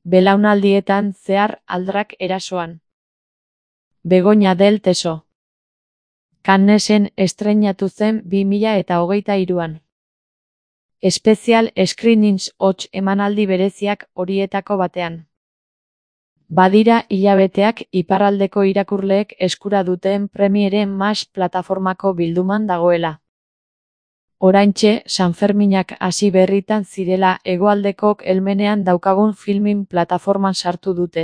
Belaunaldietan zehar aldrak erasoan. Begoña del Teso. Cannesen estreinatu zen 2023an. Special Screenings hots emanaldi bereziak horietako batean. Badira hilabeteak iparraldeko irakurleek eskura duten Premiere Max plataformako bilduman dagoela. Oraintxe, Sanferminak hasi berritan zirela hegoaldekok helmenean daukagun filmin plataforman sartu dute.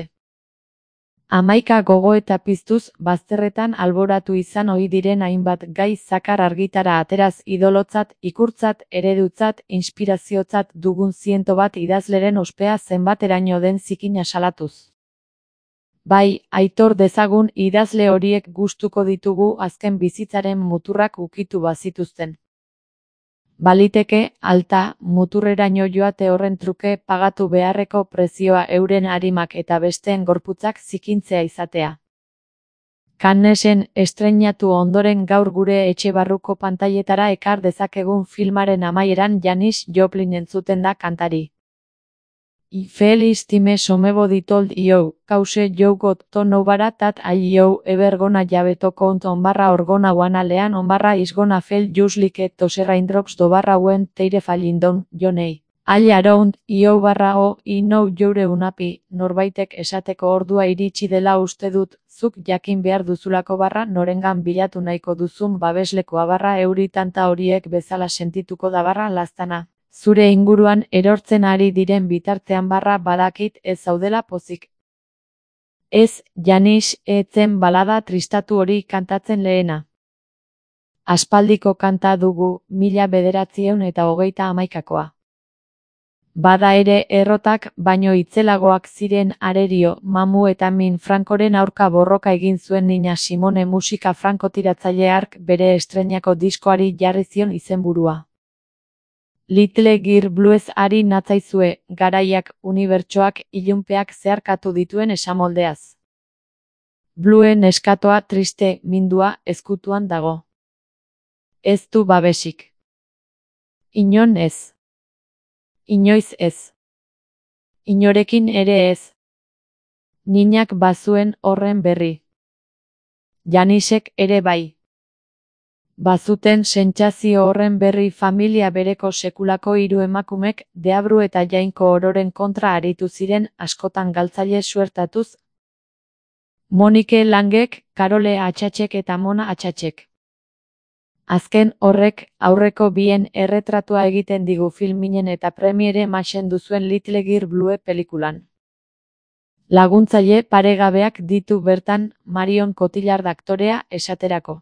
11 gogoeta piztuz bazterretan alboratu izan ohi diren hainbat gai zakar argitara ateraz idolotzat, ikurtzat, eredutzat, inspiraziotzat dugun 101 idazleren ospea zenbateraino den zikina salatuz. Bai, aitor dezagun idazle horiek gustuko ditugu azken bizitzaren muturrak ukitu bazituzten. Baliteke, alta, muturreraino joate horren truke pagatu beharreko prezioa euren arimak eta besteen gorputzak zikintzea izatea. Cannesen estreinatu ondoren gaur gure etxe barruko pantailetara ekar dezakegun filmaren amaieran Janis Joplin entzuten da kantari. I feel time somebody told you, cause you got to know that you ever gonna have to count on or gonna wanna lean on is gonna feel just like those raindrops when they're falling down, Johnny. All around, you o, I know you're unhappy, norbaitek esateko ordua iritsi dela uste dut, zuk jakin behar duzulako norengan bilatu nahiko duzun babeslekoa euri tanta horiek bezala sentituko da laztana. Zure inguruan erortzen ari diren bitartean badakit ez zaudela pozik. Ez, Janis, etzen balada tristatu hori kantatzen lehena. Aspaldiko kanta dugu, 1931koa. Bada ere errotak, baino itzelagoak ziren Arerio, Mamu eta Min Francoren aurka borroka egin zuen Nina Simone musika frankotiratzaile hark bere estreinako diskoari jarri zion izenburua. Little Girl Blues ari natzaizue, garaiak, unibertsoak, ilunpeak zeharkatu dituen esamoldeaz. Bluen neskatoa triste, mindua, ezkutuan dago. Ez du babesik. Inon ez. Inoiz ez. Inorekin ere ez. Ninak bazuen horren berri. Janisek ere bai. Bazuten sentsazio horren berri familia bereko sekulako 3 emakumek Deabru eta Jainko ororen kontra aritu ziren askotan galtzaile suertatuz. Monike Langek, Karole Atxatxek eta Mona Atxatxek. Azken horrek aurreko bien erretratua egiten digu filminen eta Premiere Maxen duzuen Little Girl Blue pelikulan. Laguntzaile paregabeak ditu bertan Marion Cotillard aktorea esaterako.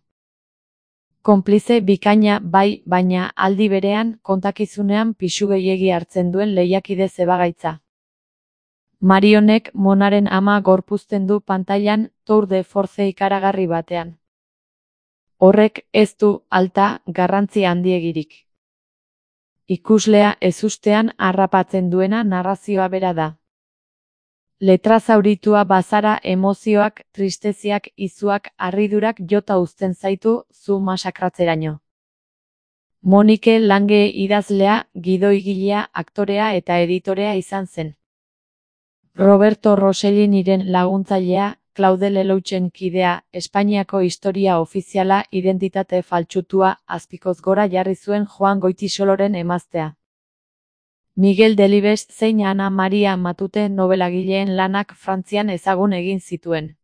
Konplize bikaina bai, baina aldi berean kontakizunean pisu gehiegi hartzen duen lehiakide zebagaitza. Marionek Monaren ama gorpuzten du pantailan tour de force ikaragarri batean. Horrek ez du alta garrantzi handiegirik. Ikuslea ezustean harrapatzen duena narrazioa bera da. Letra zauritua bazara emozioak, tristeziak, izuak, harridurak jota uzten zaitu zu masakratzeraino. Monike Lange idazlea, gidoigilea, aktorea eta editorea izan zen. Roberto Rosselliniren laguntzailea, Claude Lelouchen kidea, Espainiako historia ofiziala identitate faltsutua azpikoz gora jarri zuen Joan Goitisoloren emaztea. Miguel Delibes zein Ana Maria Matute nobelagileen lanak Frantzian ezagun egin zituen.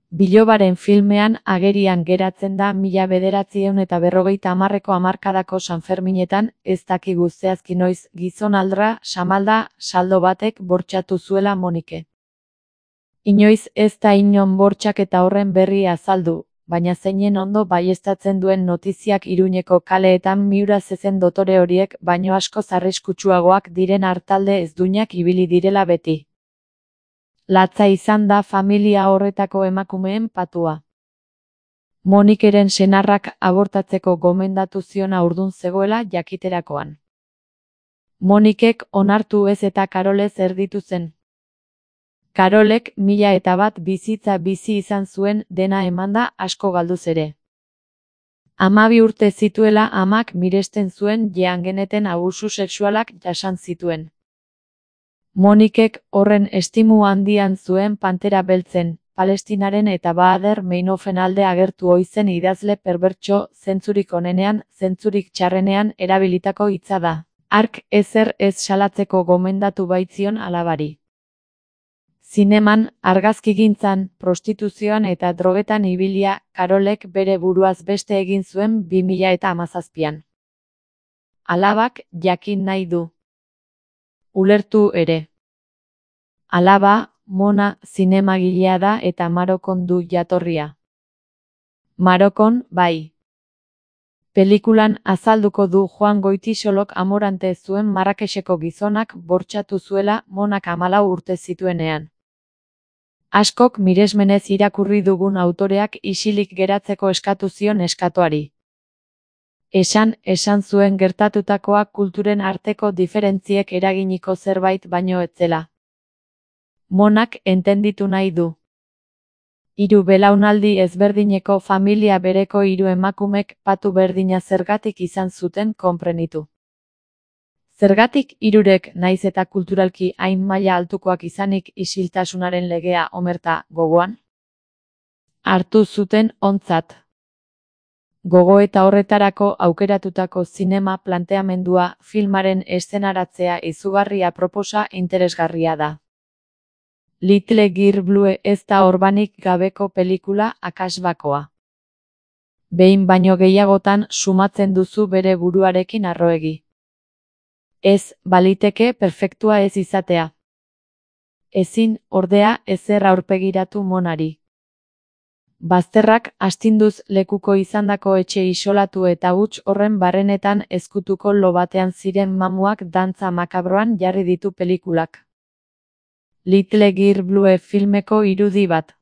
Bilobaren filmean agerian geratzen da 1950ko hamarkadako Sanferminetan, ez dakigu zehazki noiz, gizonaldra, samalda, saldo batek bortxatu zuela Monike. Inoiz ez da inon bortxaketa horren berri azaldu, baina zeinen ondo baieztatzen duen notiziak Iruñeko kaleetan miura zezen dotore horiek baino askoz arriskutsuagoak diren artalde ezduinak ibili direla beti. Latza izan da familia horretako emakumeen patua. Monikeren senarrak abortatzeko gomendatu zion haurdun zegoela jakiterakoan. Monikek onartu ez eta Karolez erditu zen. Karolek 1001 bizitza bizi izan zuen dena emanda asko galduz ere. 12 urte zituela amak miresten zuen jean geneten abusu sexualak jasan zituen. Monikek horren estimu handian zuen Pantera Beltzen, Palestinaren eta Baader Meinofen alde agertu oizen idazle perbertso, zentzurik onenean, zentzurik txarrenean erabilitako hitza da. Hark ezer ez salatzeko gomendatu baitzion alabari. Zineman, argazkigintzan, prostituzioan eta drogetan ibilia, Karolek bere buruaz beste egin zuen 2017an. Alabak jakin nahi du. Ulertu ere. Alaba, Mona, zinemagilea da eta Marokon du jatorria. Marokon, bai. Pelikulan azalduko du Juan Goitisolok amorante zuen Marrakexeko gizonak bortxatu zuela Monak 14 urte zituenean. Askok miresmenez irakurri dugun autoreak isilik geratzeko eskatu zion neskatoari. Esan zuen gertatutakoa kulturen arteko diferentziek eraginiko zerbait baino ez zela. Monak entenditu nahi du. 3 belaunaldi ezberdineko familia bereko 3 emakumek patu berdina zergatik izan zuten konprenitu. Zergatik 3rek naiz eta kulturalki hain maila altukoak izanik isiltasunaren legea omerta gogoan? Hartu zuten ontzat. Gogoeta horretarako aukeratutako zinema planteamendua filmaren eszenaratzea izugarri aproposa interesgarria da. Little Girl Blue ez da orbanik gabeko pelikula akasbakoa. Behin baino gehiagotan sumatzen duzu bere buruarekin harroegi. Ez, baliteke perfektua ez izatea. Ezin, ordea, ezer aurpegiratu Monari. Bazterrak astinduz lekuko izandako etxe isolatu eta huts horren barrenetan ezkutuko lo batean ziren mamuak dantza makabroan jarri ditu pelikulak. Little Girl Blue filmeko irudi bat.